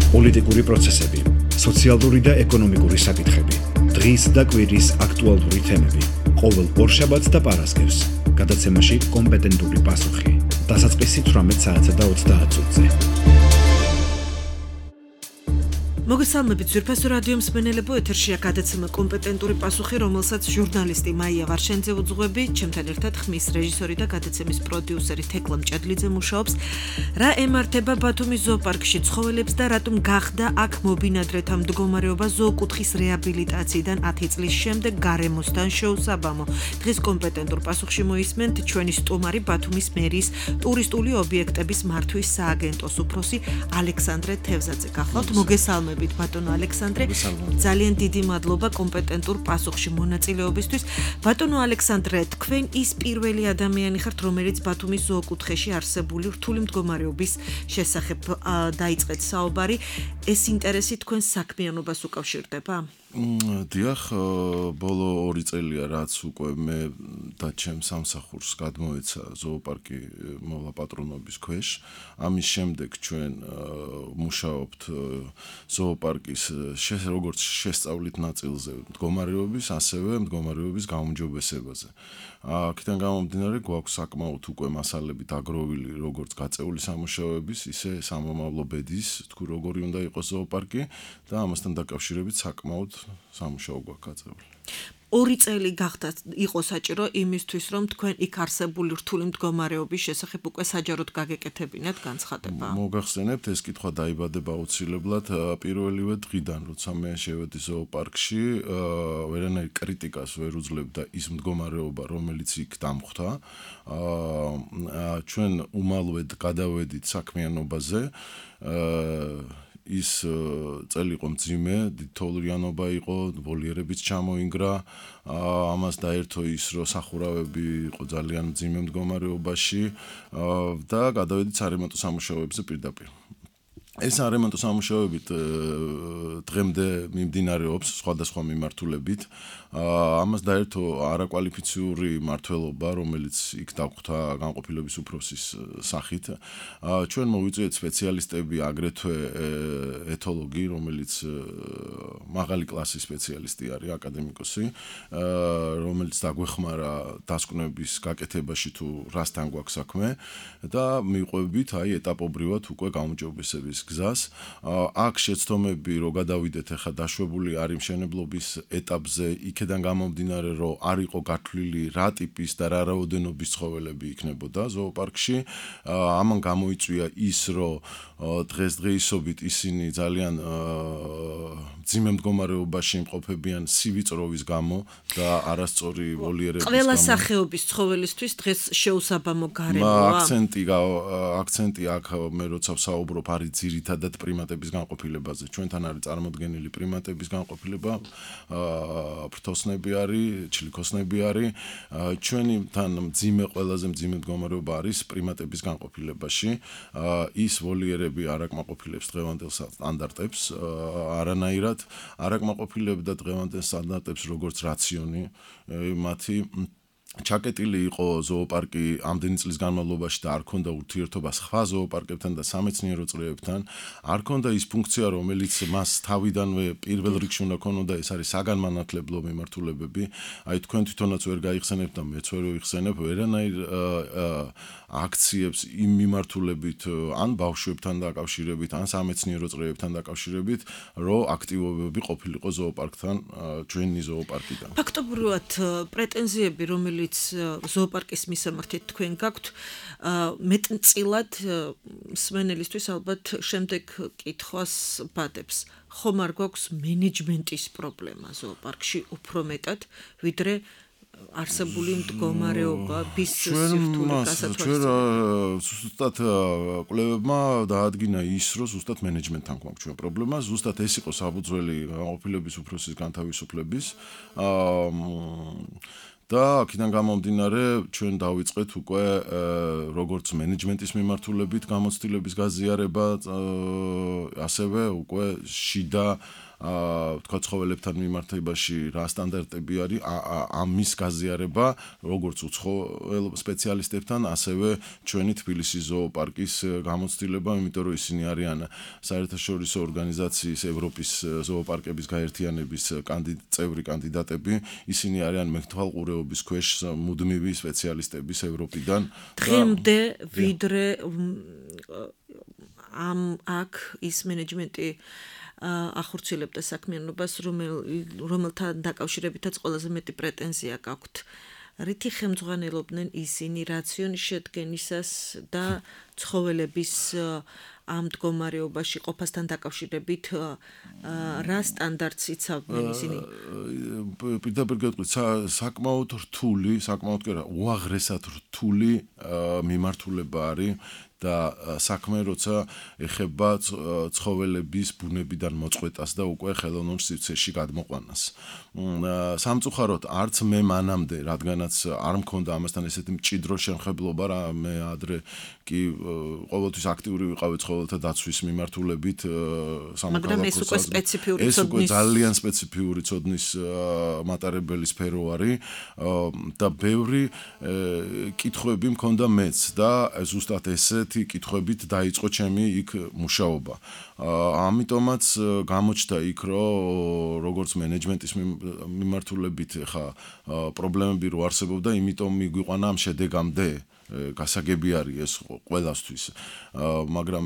პოლიტიკური პროცესები, სოციალური და ეკონომიკური საკითხები, დღის და კვირის აქტუალური თემები, ყოველ ორშაბათს და პარასკევს, გადაცემაში კომპეტენტური პასუხი, დასაწყისი 18 საათსა და 30 წუთზე. მოგესალმებით ძვირფასო რადიო მსმენელებო, ეთერშია გადაცემა კომპეტენტური პასუხი, რომელსაც ჟურნალისტი მაია ვარშენძე უძღვები, ჩემთან ერთად ხმის რეჟისორი და გადაცემის პროდიუსერი თეკლა მჭედლიძე მუშაობს. რა ემართება ბათუმის ზოოპარკში ცხოველებს და რატომ გახდა აქ მობინადრეთა მდგომარეობა ზოოკუთხის რეაბილიტაციიდან 10 წლის შემდეგ გარემოსთან შეუსაბამო. დღეს კომპეტენტურ პასუხში მოისმენთ ჩვენი სტუმარი ბათუმის მერიის ტურისტული ობიექტების მართვის სააგენტოს უფროსი ალექსანდრე თევზაძე. გახლავთ, მოგესალმებით ბატონო ალექსანდრე, ძალიან დიდი მადლობა კომპეტენტურ პასუხში მონაწილეობისთვის. ბატონო ალექსანდრე, თქვენ ის პირველი ადამიანი ხართ, რომელიც ბათუმის ზოოკუთხეში არსებული რთული მდგომარეობის შესახებ დაიწყეთ საუბარი. ეს ინტერესი თქვენ საქმიანობას უკავშირდება? დიახ, ბოლო 2 წელია რაც უკვე მე და ჩემ სამსახურს გადმოეცა ზოოპარკი მოვლა პატრონობის ქვეშ. ამის შემდეგ ჩვენ მუშაობთ ზოოპარკის როგორც შესწავლით ნაწილზე მდგომარეობის, ასევე მდგომარეობის გაუმჯობესებაზე. აქედან გამომდინარე გვაქვს საკმაოდ უკვე მასალები დაგროვილი როგორც გაწეული სამუშაოების, ისე სამომავლო ბედის, თუ როგორი უნდა იყოს ზოოპარკი და ამასთან დაკავშირებით საკმაოდ სამუშაო გვაქვს გაწეული. 2 წელი გახდა იყო საჭირო იმისთვის, რომ თქვენ იქ არსებული რთული მდგომარეობის შესახებ უკვე საჯაროდ გაგეკეთებინათ განცხადება. მოგახსენებთ, ეს კითხვა დაიბადება აუცილებლად პირველივე დღიდან, როცა მე შევედი ზოოპარკში, ვერანაირ კრიტიკას ვერ უძლებდა ის მდგომარეობა, რომელიც იქ დამხვდა. ჩვენ უმალვედ გადავედით საქმიანობაზე. ის წელი იყო მძიმე, თოვლიანობა იყო, ვოლიერებიც ჩამოინგრა, ამას დაერთო ის, რომ სახურავები იყო ძალიან მძიმე მდგომარეობაში და გადავედით სარემონტო სამუშაოებზე პირდაპირ. ეს არემონტო სამუშაოებით დღემდე მიმდინარეობს სხვადასხვა მიმართულებით. ამას დაერთო არაკვალიფიციური მმართველობა, რომელიც იქ დაგხვდა განყოფილების უფროსის სახით. ჩვენ მოვიწვიეთ სპეციალისტები, აგრეთვე ეთოლოგი, რომელიც მაღალი კლასის სპეციალისტი არის, აკადემიკოსი, რომელიც დაგვეხმარა დასკვნების გაკეთებაში თუ რასთან გვაქვს საქმე და მივყვებით ეტაპობრივად უკვე გაუმჯობესების გზას. აქ შეცდომები რო გადავიდეთ, ახლა დაშვებული არის მშენებლობის ეტაპზე, იქედან გამომდინარე, რომ არ იყო გათვლილი რა ტიპის და რა რაოდენობის ცხოველები იქნებოდა ზოოპარკში. ამან გამოიწვია ის, რომ დღესდღეობით ისინი ძალიან მძიმე მდგომარეობაში იმყოფებიან სივიწროვის გამო და არასწორი ვოლიერების გამო. ყველა სახეობის ცხოველისთვის დღეს შეუსაბამო გარემოა. აქცენტი აქ მე როცა ვსაუბრობ არის ძირითადად პრიმატების განყოფილებაზე. ჩვენთან არის წარმოდგენილი პრიმატების განყოფილება, ფრთოსნები არის, ჩლიქოსნები არის. ჩვენთან ყველაზე მძიმე მდგომარეობა არის პრიმატების განყოფილებაში. ის ვოლიერები არ აკმაყოფილებს დღევანდელ სტანდარტებს, არანაირად არ აკმაყოფილებდა დღევანდელ სტანდარტებს როგორც რაციონი მათი. ჩაკეტილი იყო ზოოპარკი ამდენი წლის განმავლობაში და არ ქონდა ურთიერთობა სხვა ზოოპარკებთან და სამეცნიერო წრეებთან. არ ქონდა ის ფუნქცია, რომელიც მას თავიდანვე პირველ რიგში უნდა ქონოდა, ეს არის საგანმანათლებლო მიმართულებები. აი თქვენ თვითონაც ვერ გაიხსენებთ და მეც ვერ ვიხსენებ ვერანაირ აქციებს იმ მიმართულებით, ან ბავშვებთან დაკავშირებით, ან სამეცნიერო წრეებთან დაკავშირებით, რომ აქტივობები ყოფილიყო ზოოპარკთან, ჩვენი ზოოპარკიდან. ფაქტობრივად პრეტენზიები, რომელიც ზოოპარკის მისამართით თქვენ გაქვთ, მეტწილად მსმენელისთვის ალბათ შემდეგ კითხვას ბადებს. ხომ არ გვაქვს მენეჯმენტის პრობლემა ზოოპარკში უფრო მეტად, ვიდრე არსებული მდგომარეობის სირთულე გასაცვალისწინებელია? ჩვენ ზუსტად კვლევებმა დაადგინა ის, რომ ზუსტად მენეჯმენტთან გვაქვს ჩვენ პრობლემა, ზუსტად ეს იყო საფუძველი განყოფილების უფროსის განთავისუფლების. და აქედან გამომდინარე ჩვენ დავიწყეთ უკვე როგორც მენეჯმენტის მიმართულებით გამოცდილების გაზიარება, ასევე უკვე შიდა თქვა ცხოველებთან მიმართებაში რა სტანდარტები არის, ამის გაზიარება როგორც უცხოელ სპეციალისტებთან, ასევე ჩვენი თბილისის ზოოპარკის გამოცდილება, იმიტომ რომ ისინი არიან საერთაშორისო ორგანიზაციის ევროპის ზოოპარკების გაერთიანების წევრი კანდიდატები, ისინი არიან მეთვალყურეობის ქვეშ მუდმივი სპეციალისტების ევროპიდან. დღემდე ვიდრე აქ ის მენეჯმენტი ახორციელებდა საქმიანობას, რომელთან დაკავშირებითაც ყველაზე მეტი პრეტენზია გაქვთ. რითი ხელმძღვანელობდნენ ისინი რაციონის შედგენისას და ცხოველების ამ მდგომარეობაში ყოფასთან დაკავშირებით რა სტანდარტს იცავდნენ ისინი? პირდაპირ გეტყვით, საკმაოდ რთული, საკმაოდ კი არა, უაღრესად რთული მიმართულება არის და საქმე როცა ეხება ცხოველების ბუნებიდან მოწყვეტას და უკვე ხელოვნურ სივრცეში გადმოყვანას. სამწუხაროდ არც მე მანამდე, რადგანაც არ მქონდა ამასთან ესეთი მჭიდრო შემხებლობა, რა მე ადრე კი ყოველთვის აქტიური ვიყავი ცხოველთა დაცვის მიმართულებით მაგრამ ეს უკვე სპეციფიური ეს უკვე ძალიან სპეციფიური ცოდნის მატარებელი სფერო არის და ბევრი კითხვები მქონდა მეც და ზუსტად ესეთი კითხვებით დაიწყო ჩემი იქ მუშაობა. ამიტომაც გამოჩნდა იქ რომ როგორც მენეჯმენტის მიმართულებით ხა პრობლემები რო არსებობდა, იმიტომ მიგვიყვანა ამ შედეგამდე გასაგები არის ეს ყველასთვის. მაგრამ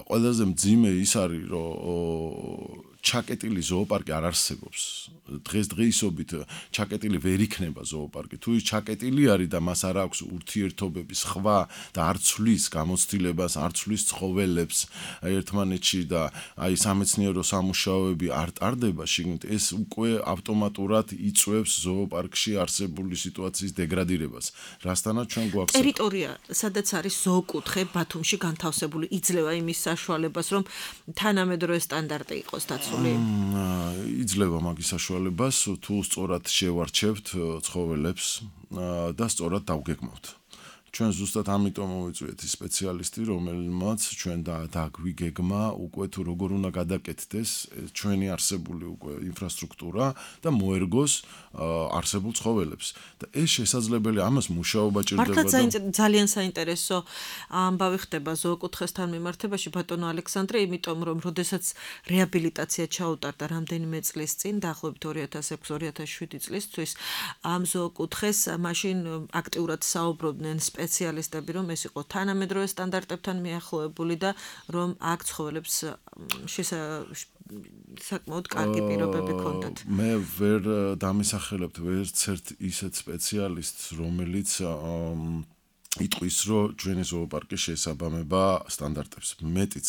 ყველაზე მძიმე ის არის რომ ჩაკეტილი ზოოპარკი არ არსებობს. დღესდღეობით ჩაკეტილი ვერ იქნება ზოოპარკი. თუ ის ჩაკეტილი არის და მას არ აქვს ურთიერთობების ხვა და არ ცვლის გამოცდილებას, არ ცვლის ცხოველებს ერთმანეთში და აი სამეცნიერო სამუშაოები არ ტარდება, შიგნით ეს უკვე ავტომატურად იწვევს ზოოპარკში არსებული სიტუაციის დეგრადირებას. რასთანაც ჩვენ გვაქვს ტერიტორია, სადაც არის ზოოკუთხე ბათუმში განთავსებული, იძლევა იმის საშუალებას, რომ თანამედროვე სტანდარტი იყოს დაცული. იძლევა მაგის საშუალებას, თუ სწორად შევარჩევთ ცხოველებს და სწორად დავგეგმავთ. ჩვენ ზუსტად ამიტომ მოვიწვიეთ ის სპეციალისტი, რომელმაც ჩვენ დაგვიგეგმა უკვე თუ როგორ უნდა გადაკეთდეს ჩვენი არსებული უკვე ინფრასტრუქტურა და მოერგოს არსებულ ცხოველებს. და ეს შესაძლებელი, ამას მუშაობა ჭირდება. მართლა ძალიან საინტერესო ამბავი ხდება ზოოკუთხესთან მიმართებაში, ბატონო ალექსანდრე, იმიტომ რომ როდესაც რეაბილიტაცია ჩაუტარდა რამდენიმე წლის წინ, დაახლოებით 2006-2007 წლისთვის, ამ ზოოკუთხეს მაშინ აქტიურად საუბრობდნენ სპეციალისტები, რომ ეს იყო თანამედროვე სტანდარტებთან მიახლოებული და რომ აქ ცხოველებს საკმაოდ კარგი პირობები ჰქონდათ. მე ვერ დამისახელებთ ვერც ერთ ისეთ სპეციალისტს, რომელიც იტყვის, რომ ჩვენი ზოოპარკი შეესაბამება სტანდარტებს. მეტიც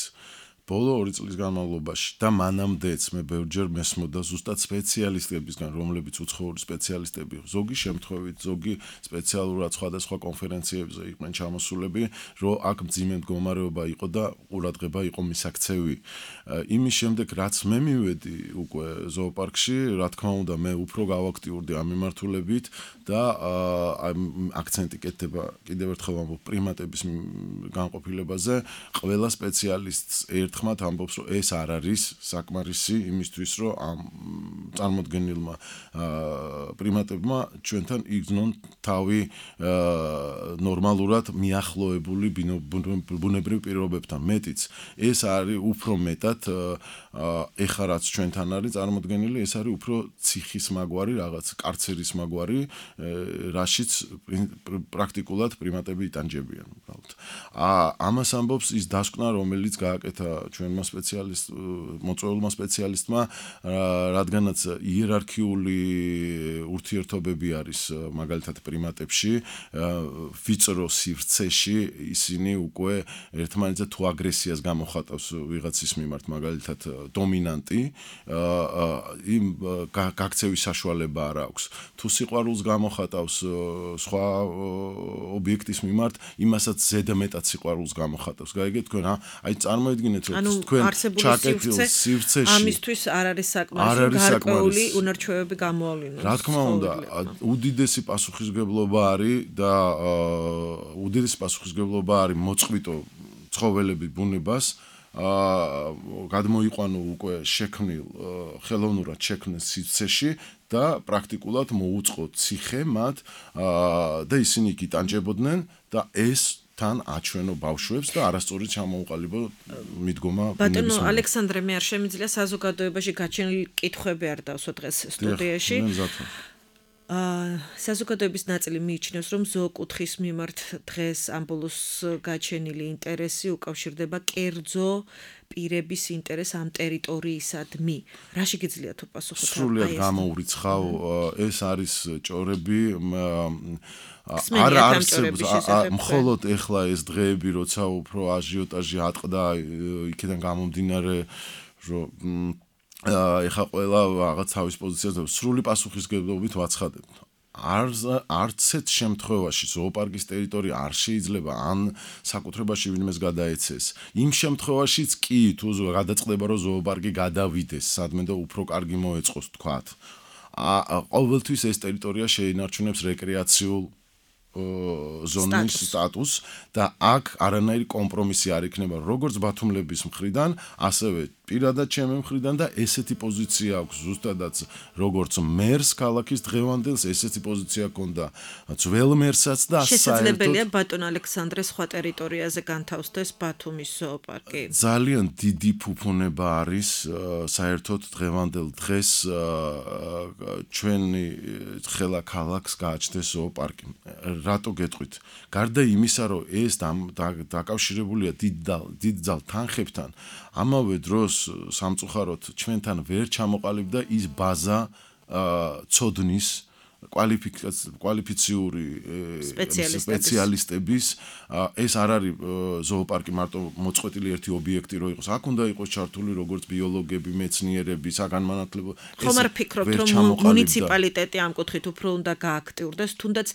ბოლო 2 წლის განმავლობაში და მანამდეც მე ბევრჯერ მესმოდა ზუსტად სპეციალისტებისგან, რომლებიც უცხოური სპეციალისტები, ზოგი შემთხვევით, ზოგი სპეციალურად სხვადასხვა კონფერენციებზე იყვნენ ჩამოსულები, რომ აქ მძიმე მდგომარეობა იყო და ყურადღება იყო მისაქცევი. იმის შემდეგ, რაც მე მივედი უკვე ზოოპარკში, რა თქმა უნდა, მე უფრო გავაქტიურდი ამ მიმართულებით და აქცენტი კეთდება კიდევ ერთხელ ამბობ პრიმატების განყოფილებაზე, ყველა სპეციალისტს ერთხმად ამბობს, რომ ეს არ არის საკმარისი იმისთვის, რომ ამ წარმოდგენილმა პრიმატებმა ჩვენთან იგრძნონ თავი ნორმალურად მიახლოებული ბუნებრივ პირობებთან. მეტიც, ეს არის უფრო მეტად ეხლა რაც ჩვენთან არის წარმოდგენილი, ეს არის უფრო ციხის მაგვარი, რაღაც კარცერის მაგვარი, რაშიც პრაქტიკულად პრიმატები იტანჯებიან. ამას ამბობს ის დასკვნა, რომელიც გააკეთა ჩვენმა მოწვეულმა სპეციალისტმა, რადგანაც იერარქიული ურთიერთობები არის მაგალითად პრიმატებში, ვიწრო სივრცეში ისინი უკვე ერთმანეთზე თუ აგრესიას გამოხატავს ვიღაცის მიმართ, მაგალითად დომინანტი, იმ გაქცევის საშუალება არ აქვს. თუ სიყვარულს გამოხატავს სხვა ობიექტის მიმართ, იმასაც ზედმეტად სიყვარულს გამოხატავს. გაიგეთ თქვენ, აი წარმოედგინეთ, რომ თქვენ ჩაკეტილ სივრცეში ამისთვის არ არის საკმარისი გარკვეული უნარჩვევები გამოავლინოს. რა თქმა უნდა, უდიდესი პასუხისმგებლობა არის და უდიდესი პასუხისმგებლობა არის მოწყვიტო ცხოველების ბუნებას გადმოიყვანო უკვე შექმნილ ხელოვნურად შექმნილ სივრცეში და პრაქტიკულად მოუწყო ციხე მათ და ისინი εκεί ტანჯებოდნენ და ეს თან აჩვენო ბავშვებს და არასწორად ჩამოუყალიბო მიდგომა ბატონო ალექსანდრე მე არ შემიძლია საზოგადოებაში გაჩენილი კითხვები არ დავსვა დღეს სტუდიაში საზოგადოების ნაწილი მიიჩნევს რომ ზოოკუთხის მიმართ დღეს ამ ბოლოს გაჩენილი ინტერესი უკავშირდება კერძო პირების ინტერესს ამ ტერიტორიისადმი რა შეგიძლია თუ პასუხოთ სრულიად გამოურიცხავ ეს არის ჭორები არ არსებობს მხოლოდ ეხლა ეს დღეები როცა უფრო აჟიოტაჟი ატყდა იქიდან გამომდინარე რომ ეხა ყველა რაღაც თავის პოზიციაზე სრული პასუხისგებლობით ვაცხადებთ. არც ერთ შემთხვევაში ზოოპარკის ტერიტორია არ შეიძლება ან საკუთრებაში ვინმეს გადაეცეს. იმ შემთხვევაშიც კი თუ გადაწყდება რომ ზოოპარკი გადავიდეს, სადმე და უფრო კარგი მოეწყოს თქვათ. ყოველთვის ეს ტერიტორია შეინარჩუნებს რეკრეაციულ ზონის სტატუსს და აქ არანაირი კომპრომისი არ იქნება როგორც ბათუმლების მხრიდან, ასევე პირადად ჩემი მხრიდან და ესეთი პოზიცია აქვს ზუსტადაც როგორც მერს ქალაქის დღევანდელს ესეთი პოზიცია ჰქონდა ძველ მერსაც და შესაძლებელია ბატონ ალექსანდრეს სხვა ტერიტორიაზე განთავსდეს ბათუმის ზოოპარკი. ძალიან დიდი ფუფუნება არის საერთოდ დღევანდელ დღეს ჩვენი ხელა ქალაქს გააჩნდეს ზოოპარკი. რატო გეტყვით? გარდა იმისა, რომ ეს დაკავშირებულია დიდძალ თანხებთან, ამავე დროს სამწუხაროდ ჩვენთან ვერ ჩამოყალიბდა ის ბაზა ცოდნის კვალიფიციური სპეციალისტების ეს არ არის ზოოპარკი მარტო მოწყვეტილი ერთი ობიექტი რო იყოს. აქ უნდა იყოს ჩართული როგორც ბიოლოგები, მეცნიერები, საგანმანათლებლო ხომ არ ფიქრობთ რომ მუნიციპალიტეტი ამ კუთხით უფრო უნდა გააქტიურდეს, თუნდაც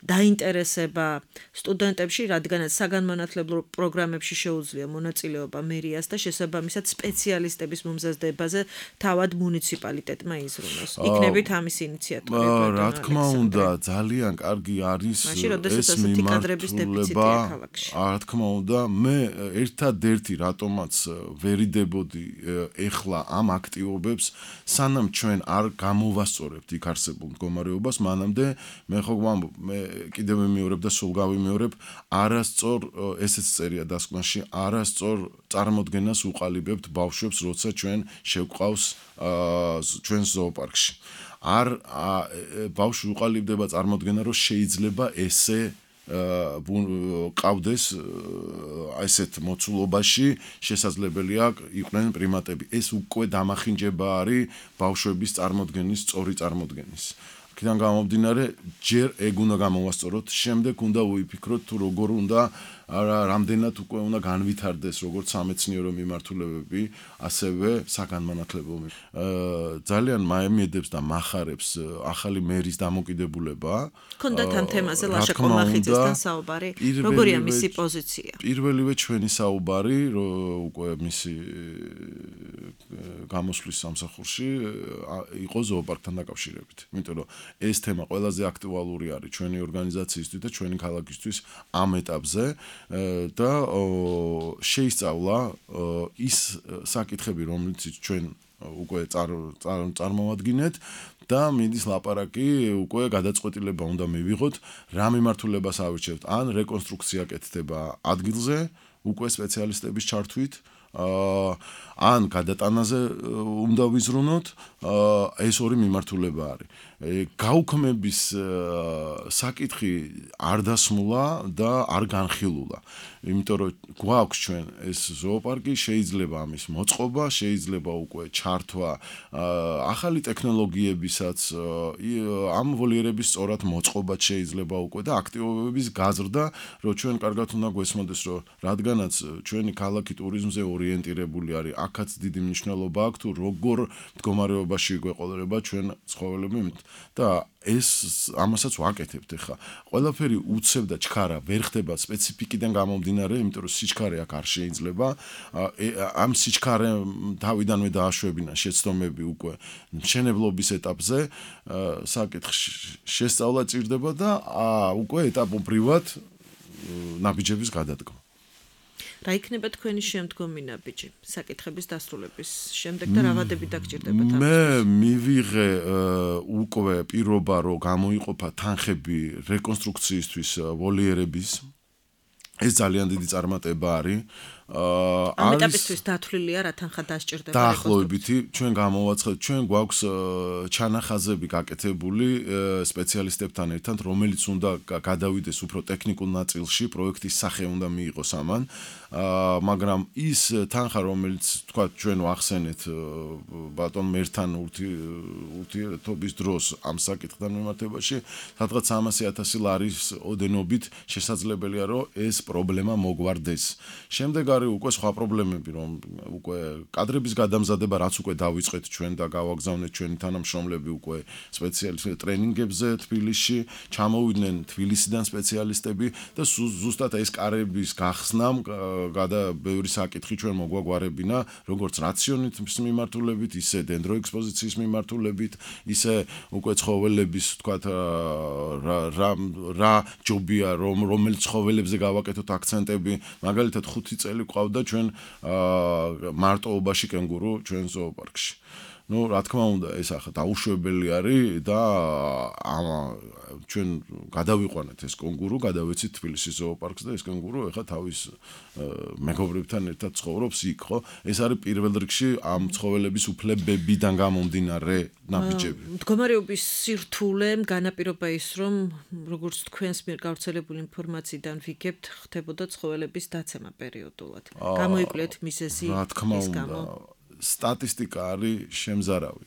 დაინტერესება სტუდენტებში, რადგანაც საგანმანათლებლო პროგრამებში შეუძლია მონაწილეობა მერიას და შესაბამისად სპეციალისტების მომზადებაზე თავად მუნიციპალიტეტმა იზრუნოს. იქნებით ამის ინიციატორი. რა თქმა უნდა, ძალიან კარგი არის ეს მიმართულება. რა თქმა უნდა, მე ერთადერთი რატომაც ვერიდებოდი ეხლა ამ აქტივობებს, სანამ ჩვენ არ გამოვასწორებთ იქ არსებულ მდგომარეობას, მანამდე მე ხო მე კიდევ ვიმეორებ და სულ გავიმეორებ, არასწორ ესეც წერია დასკვნაში, არასწორ წარმოდგენას უყალიბებთ ბავშვებს, როცა ჩვენ შევყავს ჩვენს ზოოპარკში. არ ბავშვი უყალიბდება წარმოდგენა, რომ შეიძლება ესე ყავდეს ესეთ მოცულობაში, შესაძლებელია იყვნენ პრიმატები. ეს უკვე დამახინჯება არის ბავშვების წარმოდგენის, სწორი წარმოდგენის. აქედან გამომდინარე, ჯერ ეგ უნდა გამოვასწოროთ, შემდეგ უნდა ვიფიქროთ თუ როგორ უნდა რამდენად უკვე უნდა განვითარდეს როგორც სამეცნიერო მიმართულებები, ასევე საგანმანათლებლო. ძალიან მაემედებს და მახარებს ახალი მერის დამოკიდებულება. ქონდათ ამ თემაზე ლაშა კომახიძესთან საუბარი? როგორია მისი პოზიცია? პირველივე ჩვენი საუბარი, უკვე მისი გამოსვლის სამსახურში იყო ზოოპარკთან დაკავშირებით. იმიტომ რომ ეს თემა ყველაზე აქტუალური არის ჩვენი ორგანიზაციისთვის და ჩვენი ქალაქისთვის ამ ეტაპზე. და შეისწავლა ის საკითხები, რომლიც ჩვენ უკვე წარმოვადგინეთ და მიდის ლაპარაკი უკვე გადაწყვეტილება უნდა მივიღოთ, რა მიმართულებას ავირჩევთ, ან რეკონსტრუქცია კეთდება ადგილზე, უკვე სპეციალისტების ჩართვით, ან გადატანაზე უნდა ვიზრუნოთ, ეს ორი მიმართულება არის. გაუქმების საკითხი არ დასმულა და არ განხილულა. იმიტომ რომ გვაქვს ჩვენ ეს ზოოპარკი, შეიძლება ამის მოწყობა, შეიძლება უკვე ჩართვა ახალი ტექნოლოგიებისაც, ამ ვოლიერების სწორად მოწყობა შეიძლება უკვე და აქტივობების გაზრდა, რომ ჩვენ კარგად უნდა გვესმოდეს, რომ რადგანაც ჩვენი ქალაქი ტურიზმზე ორიენტირებული არის, აქაც დიდი მნიშვნელობა აქვს თუ როგორ მდგომარეობაში გვეყოლება ჩვენ ცხოველები და ეს ამასაც ვაკეთებთ ახლა. ყველაფერი უცებ და ჩქარა ვერ ხდება სპეციფიკიდან გამომდინარე, იმიტომ რომ სიჩქარე აქ არ შეიძლება. ამ სიჩქარე თავიდანვე დააშვებინა შეცდომები უკვე მშენებლობის ეტაპზე, საკითხი შესწავლა ჭირდება და უკვე ეტაპობრივად ნაბიჯების გადადგმა. რა იქნება თქვენი შემდგომი ნაბიჯი საკითხების დასრულების შემდეგ და რა ვადები დაგჭირდებათ ამისთვის? მე მივიღე უკვე პირობა რომ გამოიყოფა თანხები რეკონსტრუქციისთვის ვოლიერების ეს ძალიან დიდი წარმატება არის ამ ეტაპისთვის დათვლილია რა თანხა დასჭირდება დაახლოებითი ჩვენ გამოვაცხადეთ ჩვენ გვაქვს ჩანახაზები გაკეთებული სპეციალისტებთან ერთად რომელიც უნდა გადავიდეს უფრო ტექნიკურ ნაწილში პროექტის სახე უნდა მიიღოს ამან მაგრამ ის თანხა რომელიც თქვა ჩვენ ვახსენეთ ბატონ მერთან ურთიერთობის დროს ამ საკითხთან მიმართებაში სადღაც 300,000 ლარის ოდენობით შესაძლებელია რომ ეს პრობლემა მოგვარდეს შემდეგ არის უკვე სხვა პრობლემები რომ უკვე კადრების გადამზადება რაც უკვე დავიწყეთ ჩვენ და გავაგზავნეთ ჩვენი თანამშრომლები უკვე სპეციალისტ ტრენინგებზე თბილისში ჩამოვიდნენ თბილისიდან სპეციალისტები და ზუსტად ეს კარების გახსნამ ბევრი საკითხი ჩვენ მოგვაგვარებინა როგორც რაციონით მიმართულებით ისე დენდროექსპოზიციის მიმართულებით ისე უკვე ცხოველების თქვათ რა ჯობია რომელიც ცხოველებზე გავაკეთოთ აქცენტები მაგალითად 5 წელი ყავდა ჩვენ მარტოობაში კენგურუ ჩვენ ზოოპარკში. Ну, რა თქმა უნდა, ეს ახლა დაუშვებელი არის და ჩვენ გადავიყვანეთ ეს კენგურუ, გადავეცით თბილისის ზოოპარკს და ეს კენგურუ ახლა თავის მეგობრებთან ერთად ცხოვრობს იქ, ხო? ეს არის პირველ რიგში ამ ცხოველების უფლებებიდან გამომდინარე ნაბიჯები. მდგომარეობის სირთულემ განაპირობა ის, რომ როგორც თქვენს მიერ გავრცელებული ინფორმაციიდან ვიგებთ, ხდებოდა ცხოველების დაცემა პერიოდულად. გამოიკვლიეთ მიზეზი ის გამო. სტატისტიკა არის შემზარავი.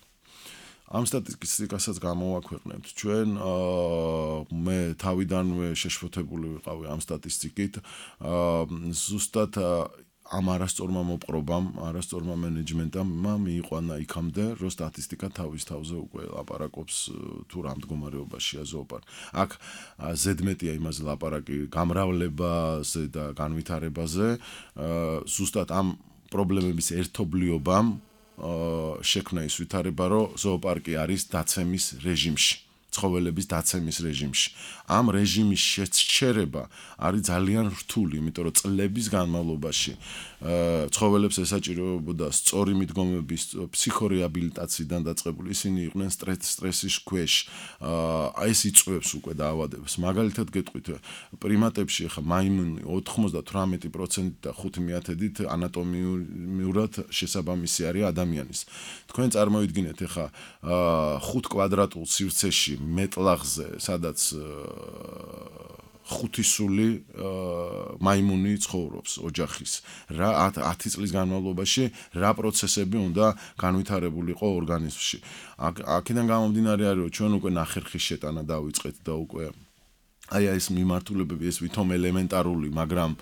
ამ სტატისტიკასაც გამოვაქვეყნებთ ჩვენ მე თავიდანვე შეშფოთებული ვიყავი ამ სტატისტიკით ზუსტად ამ არასწორმა მოპყრობამ, არასწორმა მენეჯმენტამ მიიყვანა იქამდე, რომ სტატისტიკა თავის თავზე უკვე ლაპარაკობს თუ რა მდგომარეობაშია ზოოპარკი. აქ ზედმეტია იმაზე ლაპარაკი გამრავლებაზე და განვითარებაზე, ზუსტად ამ პრობლემების ერთობლიობამ შექმნა ის ვითარება, რომ ზოოპარკი არის დაცემის რეჟიმში, ცხოველების დაცემის რეჟიმში. ამ რეჟიმის შეჩერება არის ძალიან რთული, იმიტომ რომ წლების განმავლობაში ცხოველებს ესაჭიროებოდა სწორი მიდგომების ფსიქორეაბილიტაციიდან დაწყებული, ისინი იყვნენ სტრესის ქვეშ. ეს იწვევს უკვე დაავადებას. მაგალითად გეტყვით, პრიმატებში ხა მაიმუნი 98% და 5/10 ანატომიურად შესაბამისი არის ადამიანის. თქვენ წარმოიდგინეთ ხა 5 კვადრატულ სივრცეში მეტლაღზე, სადაც 5 სული მაიმუნი ცხოვრობს ოჯახის. რა 10 წლის განმავლობაში რა პროცესები უნდა განვითარებულიყო ორგანიზმში. აქედან გამომდინარე არის, რომ ჩვენ უკვე ნახერხის შეტანა დავიწყეთ და უკვე ეს მიმართულებები ეს ვითომ ელემენტარული, მაგრამ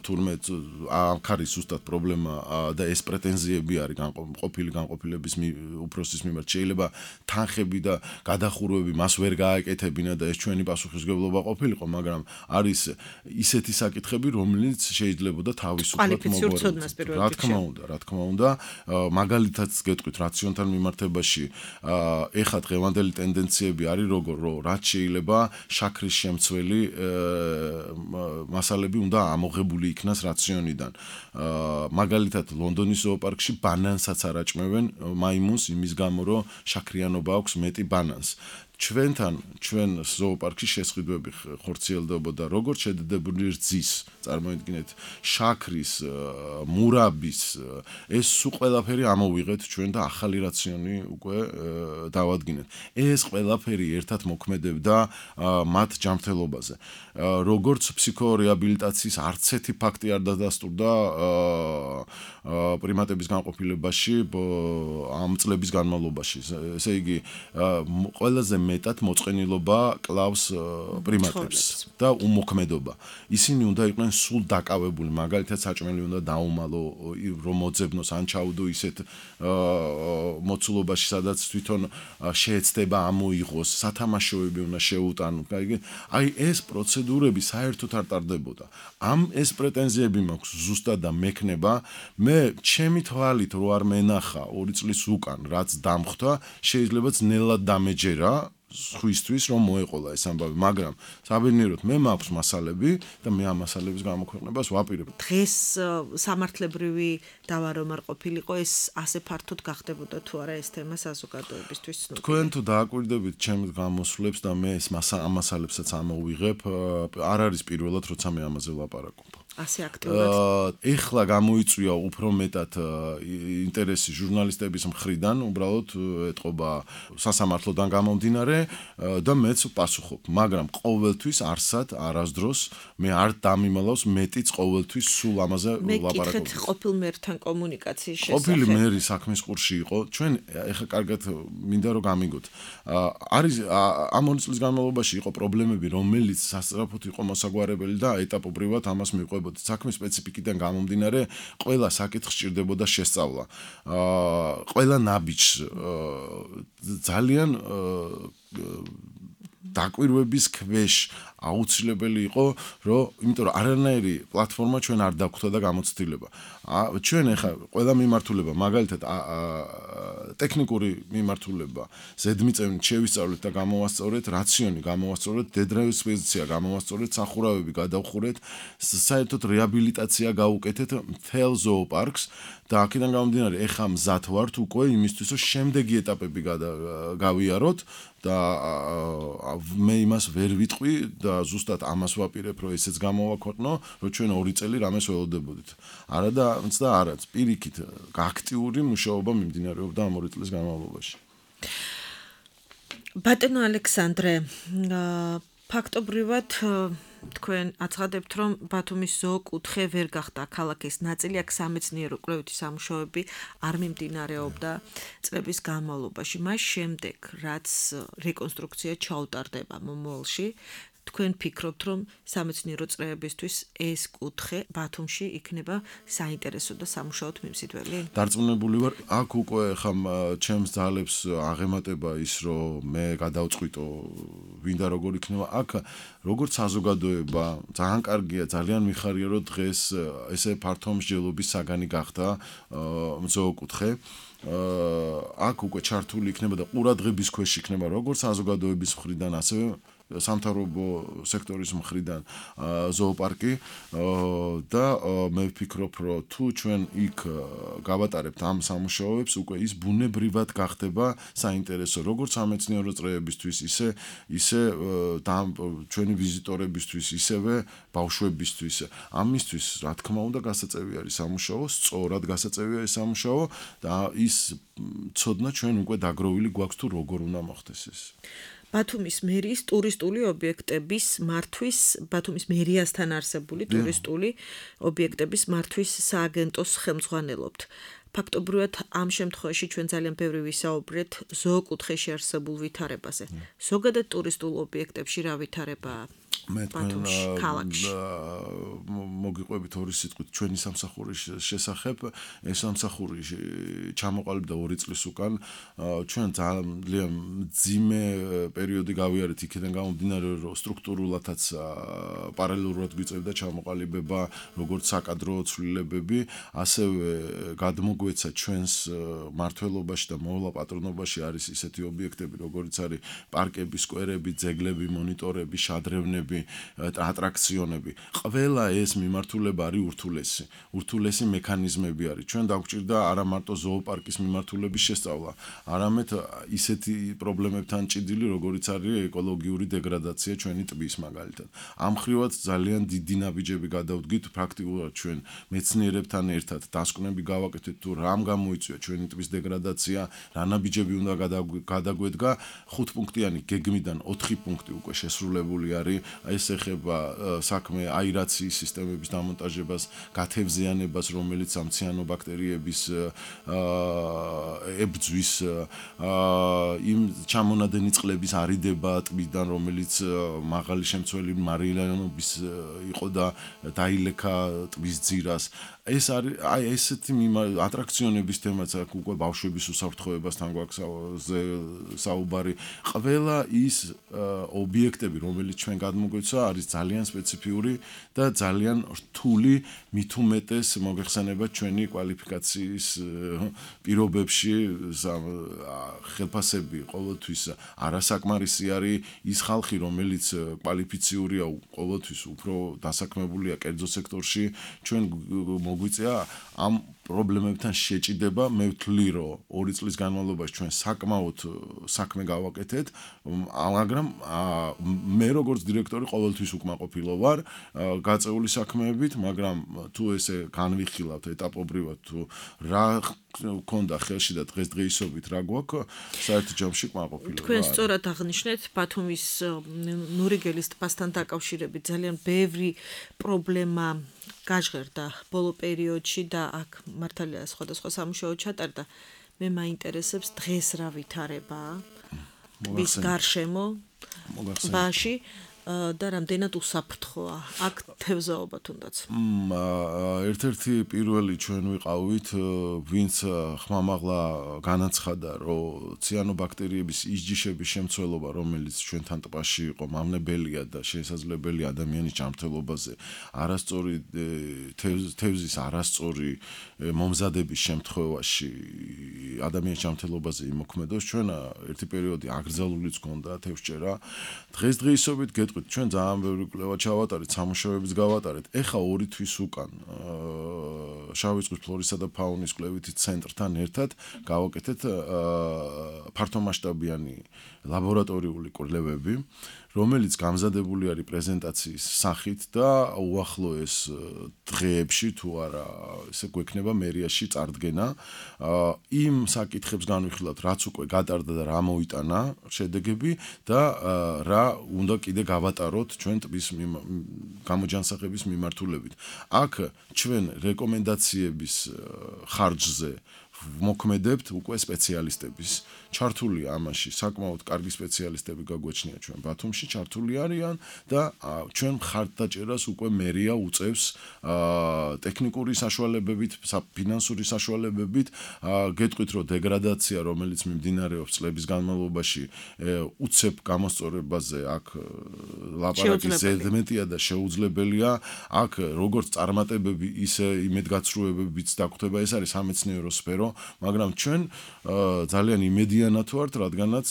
თურმე აქ არის ზუსტად პრობლემა და ეს პრეტენზიები არის ყოფილი განყოფილების უფროსის მიმართ. შეიძლება თანხები და გადახურვები მას ვერ გააკეთებინა და ეს ჩვენი პასუხისმგებლობა ყოფილიყო, მაგრამ არის ისეთი საკითხები, რომელიც შეიძლებოდა თავისუფლად მოგვარებინოს. რა თქმა უნდა, მაგალითად გეტყვით რაციონთან მიმართებაში, ეხლა დღევანდელი ტენდენციები არის როგორ, რომ რაც შეიძლება შაქრის ცველი მასალები უნდა ამოღებული იქნას რაციონიდან. მაგალითად ლონდონის ზოოპარკში ბანანსაც არ აჭმევენ მაიმუნს იმის გამო, რომ შაქრიანობა აქვს მეტი ბანანს. ჩვენ ზოოპარკში შესყიდვები ხორციელდებოდა როგორც შედეგებული რძის, წარმოიდგინეთ, შაქრის, მურაბის, ეს სულ ყველაფერი ამოვიღეთ ჩვენ და ახალი რაციონი უკვე დავადგინეთ. ეს ყველაფერი ერთად მოქმედებდა მათ ჯანმრთელობაზე. როგორც ფსიქორეაბილიტაციის არც ერთი ფაქტი არ დადასტურდა პრიმატების განყოფილებაში ამ წლების განმავლობაში. ესე იგი, ყველაზე მეტად მოწყენილობა კლავს პრიმატებს და უმოქმედობა. ისინი უნდა იყვნენ სულ დაკავებული, მაგალითად საჭმელი უნდა დაუმალო, რომ მოძებნოს ან ჩაუდო ისეთ მოცულობაში, სადაც თვითონ შეეცდება ამოიღოს, სათამაშოები უნდა შეუტანო. აი ეს პროცედურები საერთოდ არ ტარდებოდა. ეს პრეტენზიები მაქვს ზუსტად და მექნება, მე ჩემი თვალით რო არ მენახა 2 წლის უკან, რაც დამხვდა, შეიძლება ძნელად დამეჯერა სხვისთვის რომ მოეყოლა ეს ამბავი, მაგრამ საბედნიეროდ მე მაქვს მასალები და მე ამ მასალების გამოქვეყნებას ვაპირებ. დღეს სამართლებრივი დავა რომ არ ყოფილიყო ეს ასე ფართოდ გახდებოდა თუ არა ეს თემა საზოგადოებისთვის ცნობილი. თქვენ თუ დააკვირდებით ჩემს გამოსვლებს და მე ეს ამ მასალებსაც ამოვიღებ, არ არის პირველად როცა მე ამაზე ვლაპარაკობ. ასე აქტიურად. ეხლა გამოიწვია უფრო მეტად ინტერესი ჟურნალისტების მხრიდან, უბრალოდ ეთყობა სასამართლოდან გამომდინარე და მეც პასუხობ, მაგრამ ყოველთვის არსად არასდროს მე არ დამიმალავს მეტიც ყოველთვის სულ ამაზე ვლაპარაკობ. მე კითხეთ ყოფილ მერთან კომუნიკაციის შესახებ. ყოფილი მერი საქმის ყურში იყო. ჩვენ ეხლა კარგად მინდა რომ გამიგოთ. არის ამ 2 წლის განმავლობაში იყო პრობლემები, რომელიც სასწრაფოდ იყო მოსაგვარებელი და ეტაპობრივად ამას მიყვებოდა. საქმის სპეციფიკიდან გამომდინარე, ყველა საკითხს სჭირდებოდა შესწავლა. ყველა ნაბიჯს ძალიან დაკვირვების ქვეშ აუცილებელი იყო, იმიტომ რომ არანაირი პლატფორმა ჩვენ არ დაგვხვდა და გამოცდილება. ჩვენ ახლა ყველა მიმართულება, მაგალითად ტექნიკური მიმართულება, ზედმიწევნით შევისწავლეთ და გამოვასწორეთ, რაციონი გამოვასწორეთ, დედრავის პოზიცია გამოვასწორეთ, სახურავები გადავხურეთ, საერთოდ რეაბილიტაცია გავუკეთეთ მთელ ზოოპარკს და აქედან გამომდინარე, ეხლა მზად ვართ უკვე იმისთვის, რომ შემდეგი ეტაპები გავიაროთ და მე იმას ვერ ვიტყვი და ზუსტად ამას ვაპირებ, რომ ესეც გამოვაქვეყნო, რომ ჩვენ 2 წელი რამეს ველოდებოდით. არა და არაც პირიქით აქტიური მუშაობა მიმდინარეობდა ამ 2 წლის განმავლობაში. ბატონო ალექსანდრე, ფაქტობრივად თქვენ აცხადებთ, რომ ბათუმის ზოოკუთხე ვერ გახდა ქალაქის ნაწილი, აქ სამეცნიერო კვლევითი სამუშაოები არ მიმდინარეობდა წლების განმავლობაში. მას შემდეგ, რაც რეკონსტრუქცია ჩაუტარდება მომავალში, თქვენ ფიქრობთ, რომ სამეცნიერო წრეებისთვის ეს კუთხე ბათუმში იქნება საინტერესო და სამუშაოდ მიმზიდველი? დარწმუნებული ვარ, აქ უკვე ხა ჩემს ძალებს აღემატება ის, რომ მე გადავწყვიტო ვინდა როგორ იქნება. აქ როგორც საზოგადოება, ძალიან კარგია, ძალიან მიხარია, რომ დღეს ესე ფართო მსჯელობის საგანი გახდა ზოოკუთხე. აქ უკვე ჩართული იქნება და ყურადღების ქვეშ იქნება როგორც საზოგადოების მხრიდან, ასევე სამთავრობო სექტორის მხრიდან ზოოპარკი და მე ვფიქრობ, რომ თუ ჩვენ იქ გავატარებთ ამ სამუშაოებს, უკვე ის ბუნებრივად გახდება საინტერესო როგორც სამეცნიერო წრეებისთვის, ისე ჩვენი ვიზიტორებისთვის, ისევე ბავშვებისთვის. ამისთვის, რა თქმა უნდა, გასაწევი არის სამუშაო, სწორად გასაწევია ეს სამუშაო და ის ცოდნა ჩვენ უკვე დაგროვილი გვაქვს თუ როგორ უნდა მოხდეს ეს. ბათუმის მერიის ტურისტული ობიექტების მართვის, ბათუმის მერიასთან არსებული ტურისტული ობიექტების მართვის სააგენტოს ხელმძღვანელობთ. ფაქტობრივად ამ შემთხვევაში ჩვენ ძალიან ბევრი ვისაუბრეთ ზოოკუთხეში არსებულ ვითარებაზე. ზოგადად ტურისტულ ობიექტებში რა ვითარებაა? მე ბათუმში, ქალაქში. მოგიყვებით 2 სიტყვით ჩვენი სამსახურის შესახებ. ეს სამსახური ჩამოყალიბდა 2 წლის უკან. ჩვენ ძალიან მძიმე პერიოდი გავიარეთ იქიდან გამომდინარე, რომ სტრუქტურულადაც პარალელურად გვიწევდა ჩამოყალიბება, როგორც საკადრო ცვლილებები, ასევე გადმოგვეცა ჩვენს მმართველობაში და მოვლა პატრონობაში არის ისეთი ობიექტები, როგორც არის პარკები, სკვერები, ძეგლები, მონიტორები, შადრევნები, ატრაქციონები. ყველა ეს მიმართულება არის ურთულესი მექანიზმები არის. ჩვენ დაგვჭირდა არა მარტო ზოოპარკის მიმართულების შესწავლა, არამედ ისეთი პრობლემებთან ჭიდილი, როგორიც არის ეკოლოგიური დეგრადაცია ჩვენი ტბის მაგალითად. ამ ხრივად ძალიან დიდი ნაბიჯები გადავდგით პრაქტიკულად ჩვენ მეცნიერებთან ერთად დასკვნები გავაკეთეთ თუ რამ გამოიწვია ჩვენი ტბის დეგრადაცია, რა ნაბიჯები უნდა გადაგვედგა. 5 პუნქტიანი გეგმიდან 4 პუნქტი უკვე შესრულებული არის. ეს ეხება საქმე აირაციის სისტემების დამონტაჟებას, გათევზიანებას, რომელიც ამ ციანობაქტერიების ებძვის, იმ ჩამონადენი წყლების არიდება ტბიდან, რომელიც მაღალი შემცველი მარილიანობის იყო და დაილექა ტბის ძირას. ეს არის ესეთი ატრაქციონების თემაც აქ უკვე ბავშვების უსაფრთხოებასთან გვაქვს საუბარი. ყველა ის ობიექტები, რომელიც ჩვენ გამოიცა არის ძალიან სპეციფიური და ძალიან რთული მით უმეტეს მოგეხსენებათ ჩვენი კვალიფიკაციის პირობებში ხელფასები ყოველთვის არასაკმარისი არის ის ხალხი რომელიც კვალიფიციურია ყოველთვის უფრო დასაქმებულია კერძო სექტორში ჩვენ მოგვიწია ამ პრობლემებთან შეჭიდება მე ვთვლი რომ 2 წლის განმავლობაში ჩვენ საკმაოდ საქმე გავაკეთეთ მაგრამ მე როგორც დირექტორი ყოველთვის უკმაყოფილო ვარ გაწეული საქმეებით მაგრამ თუ ესე განვიხილავთ ეტაპობრივად თუ რა ქონდა ხელში და დღესდღეობით რა გვაქვს საერთო ჯამში კმაყოფილო ვარ თქვენ სწორად აღნიშნეთ ბათუმის ნურიგელის ტბასთან დაკავშირებით ძალიან ბევრი პრობლემა გაჟღერდა ბოლო პერიოდში და აქ მართალია სხვადასხვა სამუშაო ჩატარდა მე მაინტერესებს დღეს რა ვითარებაა ტბის გარშემო ტბაში და რამდენად უსაფრთხოა აქ თევზაობა თუნდაც ერთ-ერთი პირველი ჩვენ ვიყავით ვინც ხმამაღლა განაცხადა რომ ციანობაქტერიების ისჯიშების შემცველობა რომელიც ჩვენთან ტბაში იყო მავნებელია და შესაძლებელია ადამიანის ჯანმრთელობაზე არასწორი თევზის არასწორი მომზადების შემთხვევაში ადამიანის ჯანმრთელობაზე იმოქმედოს ჩვენ ერთი პერიოდი აკრძალულიც გქონდა თევზჭერა დღესდღეობით ჩვენ ძალიან ბევრი კვლევა ჩავატარეთ, სამუშაოებიც გავატარეთ. ეხა 2 თვის უკან შავი ზღვის ფლორისა და ფაუნის კვლევითი ცენტრთან ერთად გავაკეთეთ ფართომასშტაბიანი ლაბორატორიული კვლევები, რომელიც გამზადებული არის პრეზენტაციის სახით და უახლოეს დღეებში თუ არა ესე გვექნება მერიაში წარდგენა. იმ საკითხებს განვიხილავთ, რაც უკვე გატარდა და რა მოიტანა შედეგები და რა უნდა კიდე გავატაროთ ჩვენ ტბის გამოჯანსაღების მიმართულებით. აქ ჩვენ რეკომენდაციების ხარჯზე მოქმედებთ უკვე სპეციალისტების ჩართული ამაში საკმაოდ კარგი სპეციალისტები გაგვეჩნია ჩვენ ბათუმში ჩართული არიან და ჩვენ ხარდაჭერას უკვე მერია უწევს ტექნიკური საშუალებებით, ფინანსური საშუალებებით გეტყვით რომ დეგრადაცია რომელიც მიმდინარეობს წლების განმავლობაში უცებ გამოსწორებაზე აქ ლაპარაკის ზედმეტია და შეუძლებელია აქ როგორც წარმატებები ისე იმედგაცრუებებიც დაგვხვდება ეს არის სამეცნიერო სფერო მაგრამ ჩვენ ძალიან იმედიანად ვართ, რადგანაც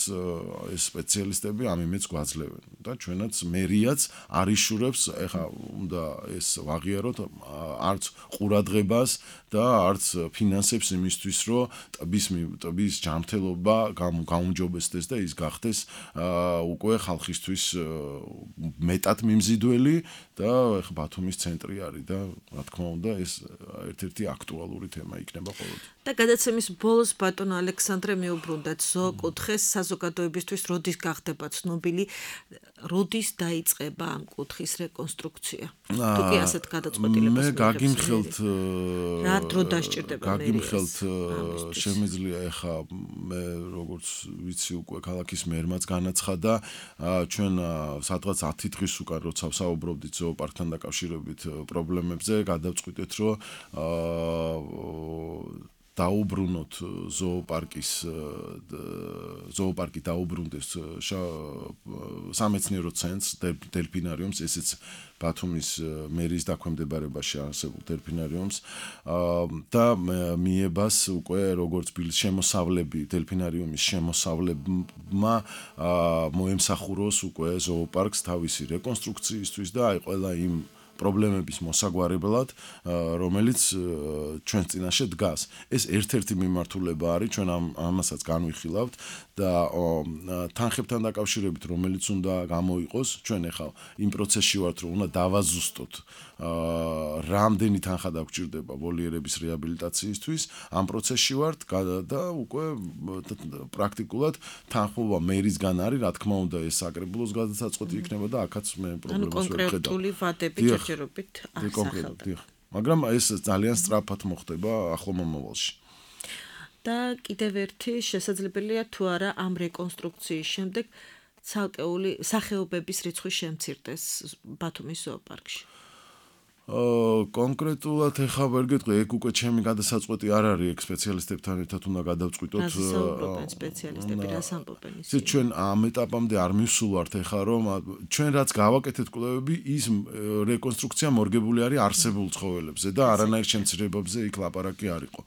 ეს სპეციალისტები ამ იმედს გვაძლევენ და ჩვენაც მერიაც არიშურებს, ეხა უნდა ეს ვაღიაროთ არც ყურადღებას და არც ფინანსებს იმისთვის, რომ ტბის ჯანმრთელობა გაუმჯობესდეს და ის გახდეს უკვე ხალხისთვის მეტად მიმზიდველი და ეხა ბათუმის ცენტრი არის და რა თქმა უნდა ეს ერთ-ერთი აქტუალური თემა იქნება ყოველთვის. და გადაცემის ბოლოს ბატონო ალექსანდრე მიუბრუნდათ ზოოკუთხეს საზოგადოებისთვის როდის გახდება ცნობილი როდის დაიწყება ამ კუთხის რეკონსტრუქცია თუ კი ასეთ გადაწყვეტილებას მე გაგიმხელთ რა დრო დასჭირდება გაგიმხელთ შემიძლია ეხა მე როგორც ვიცი უკვე ქალაქის მერმაც განაცხადა ჩვენ სადღაც 10 დღის უკან როცა ვსაუბრობდით ზოოპარკთან დაკავშირებით პრობლემებზე გადავწყვიტეთ რომ დაუბრუნოთ ზოოპარკი დაუბრუნდეს სამეცნიერო ცენტრს დელფინარიუმს ესეც ბათუმის მერის დაქვემდებარებაში არსებულ დელფინარიუმს და მიებას უკვე როგორც შემოსავლები დელფინარიუმის შემოსავლებმა მოემსახუროს უკვე ზოოპარკს თავისი რეკონსტრუქციისთვის და აი ყველა იმ პრობლემების მოსაგვარებლად, რომელიც ჩვენს წინაშე დგას. ეს ერთ-ერთი მიმართულება არის, ჩვენ ამასაც განვიხილავთ და თანხებთან დაკავშირებით, რომელიც უნდა გამოიყოს, ჩვენ ახლა იმ პროცესში ვართ, რომ უნდა დავაზუსტოთ რამდენი თანხა დაგჭირდება ვოლიერების რეაბილიტაციისთვის, ამ პროცესში ვართ და უკვე პრაქტიკულად თანხმობა მერისგან არის, რა თქმა უნდა, ეს საკრებულოს გადაწყვეტი იქნება და აქაც მე პრობლემას ვერ ვხედავ. კონკრეტული ვადები ჯერჯერობით აღსახელდა. მაგრამ ეს ძალიან სწრაფად მოხდება ახლო მომავალში. და კიდევ ერთი შესაძლებელია თუ არა ამ რეკონსტრუქციის შემდეგ ცალკეული სახეობების რიცხვი შემცირდეს ბათუმის ზოოპარკში. კონკრეტულად ეხა ვერ გეტყვი, ეგ უკვე ჩემი გადასაწყვეტი არ არის, ეგ სპეციალისტებთან ერთად უნდა გადავწყვიტოთ. სპეციალისტები რას ამბობენ ისინი? ჩვენ ამ ეტაპამდე არ მივსულვართ ეხა, რომ ჩვენ რაც გავაკეთეთ კვლევები, ის რეკონსტრუქცია მორგებული არის არსებულ ცხოველებზე და არანაირ შემცირებებზე იქ ლაპარაკი არ იყო.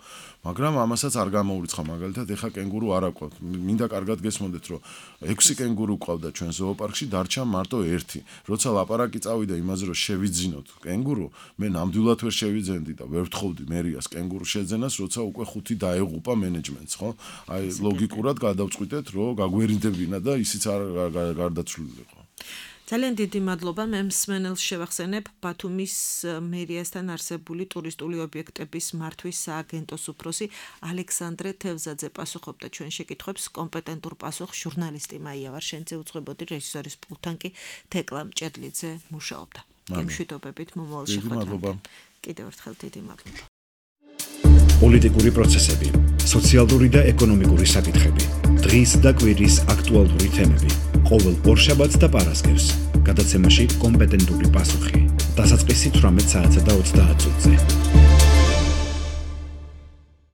მაგრამ ამასაც არ გამოურიცხა, მაგალითად, ეხა კენგურუ არ აკვათ. მინდა კარგად გესმოდეთ, რომ 6 კენგურუ ყავდა ჩვენ ზოოპარკში, დარჩა მარტო 1. როცა ლაპარაკი წავიდა იმაზე, რომ შევიძინოთ კენგურუ, მე ნამდვილად ვერ შევიძენდი და ვერ ვთხოვდი მერიას კენგურუს შეძენას, როცა უკვე 5 დაეღუპა მენეჯმენტს, ხო? აი ლოგიკურად გადავწყვიტეთ, რომ გაგვერინდებინა და ისიც არ გარდაცვლილიყო. ძალიან დიდი მადლობა. მე მსმენელს შევახსენებ ბათუმის მერიასთან არსებული ტურისტული ობიექტების მართვის სააგენტოს უფროსი ალექსანდრე თევზაძე პასუხობდა ჩვენ შეკითხვებს. კომპეტენტურ პასუხს ჟურნალისტი მაია ვარშენძე უძღვებოდი, რეჟისორის პულტთან კი თეკლა მჭედლიძე მუშაობდა. გემშვიდობებით მომავალ შეხვედრამდე. კიდევ ერთხელ დიდი მადლობა. პოლიტიკური პროცესები, სოციალური და ეკონომიკური საკითხები, დღის და კვირის აქტუალური თემები. ყოველ ორშაბათს და პარასკევს გადაცემაში კომპეტენტური პასუხი. დასაწყისი 18 საათსა და 30 წუთზე.